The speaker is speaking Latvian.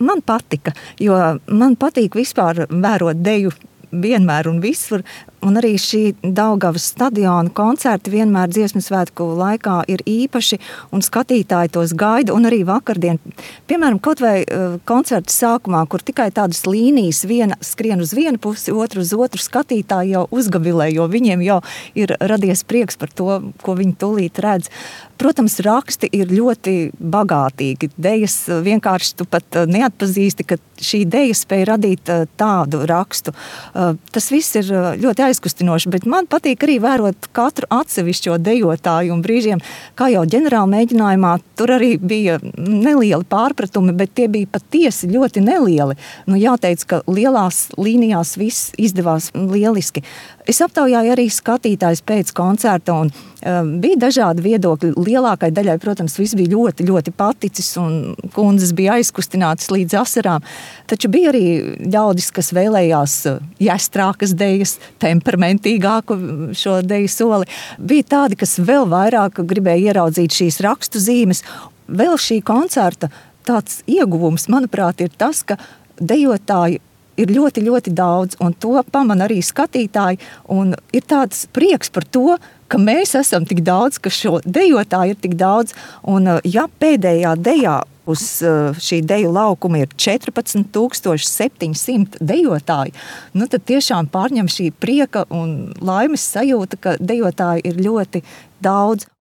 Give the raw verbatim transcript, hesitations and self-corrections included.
man patika, jo man patīk vispār vērot deju vienmēr un visur. Un arī šī Daugavas stadiona koncerti vienmēr Dziesmu svētku laikā ir īpaši, un skatītāji tos gaida, un arī vakardien. Piemēram, kaut vai uh, koncerta sākumā, kur tikai tādas līnijas, viena skrien uz vienu pusi, otru uz otru, skatītāji jau uzgavilē, jo viņiem jau ir radies prieks par to, ko viņi tūlīt redz. Protams, raksti ir ļoti bagātīgi. Dejas vienkārši tu pat neatpazīsti, ka šī deja spēja radīt tādu rakstu. Tas viss ir ļoti aizkustinoši, bet man patīk arī vērot katru atsevišķo dejotāju, un brīžiem, kā jau ģenerāla mēģinājumā, tur arī bija nelieli pārpratumi, bet tie bija patiesi ļoti nelieli. Nu, jāteic, ka lielās līnijās viss izdevās lieliski. Es aptaujāju arī skatītājus pēc koncerta, un um, bija dažādi viedokļi. Lielākai daļai, protams, viss bija ļoti, ļoti paticis, un kundzes bija aizkustinātas līdz asarām. Taču bija arī ļaudis, kas vēlējās jāstrākas dejas, temperamentīgāku šo deju soli. Bija tādi, kas vēl vairāk gribēja ieraudzīt šīs rakstu zīmes. Vēl šī koncerta tāds ieguvums, manuprāt, ir tas, ka dejotāji ir ļoti, ļoti daudz, un to pamana arī skatītāji, un ir tāds prieks par to, ka mēs esam tik daudz, ka šo dejotāju ir tik daudz, un ja pēdējā dejā uz šī deju laukuma ir četrpadsmit tūkstoši septiņi simti dejotāji, nu tad tiešām pārņem šī prieka un laimes sajūta, ka dejotāji ir ļoti daudz.